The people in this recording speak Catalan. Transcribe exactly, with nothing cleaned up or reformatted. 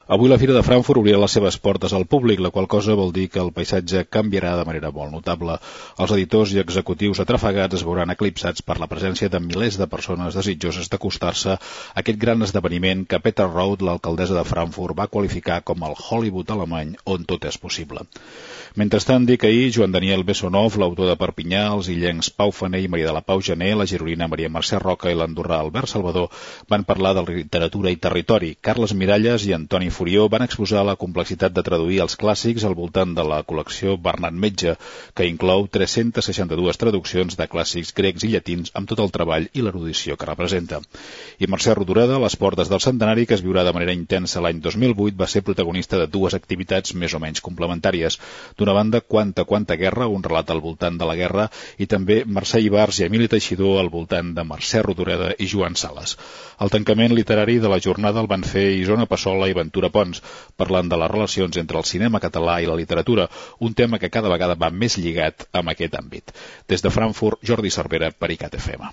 Avui la Fira de Frankfurt obrirà les seves portes al públic, la qual cosa vol dir que el paisatge canviarà de manera molt notable. Els editors i executius atrafegats es veuran eclipsats per la presència de milers de persones desitjoses d'acostar-se a aquest gran esdeveniment que Petra Rauth, l'alcaldessa de Frankfurt, va qualificar com el Hollywood alemany on tot és possible. Mentrestant, dic ahir, Joan Daniel Bessonov, l'autor de Perpinyà, els illencs Pau Faner i Maria de la Pau Gené, la gironina Maria Mercè Roca i l'andorrà Albert Salvador van parlar de literatura i territori. Carles Miralles i Antoni Furió van exposar la complexitat de traduir els clàssics al voltant de la col·lecció Bernat Metge, que inclou tres-centes seixanta-dues traduccions de clàssics grecs i llatins amb tot el treball i l'erudició que representa. I Mercè Rodoreda, a les portes del centenari, que es viurà de manera intensa l'any dos mil vuit, va ser protagonista de dues activitats més o menys complementàries. D'una banda, Quanta, quanta guerra, un relat al voltant de la guerra, i també Mercè Ibars i Emili Teixidor al voltant de Mercè Rodoreda i Joan Sales. El tancament literari de la jornada el van fer Isona Passola i Ventura Pons, parlant de les relacions entre el cinema català i la literatura, un tema que cada vegada va més lligat amb aquest àmbit. Des de Frankfurt, Jordi Cervera per I C A T F M.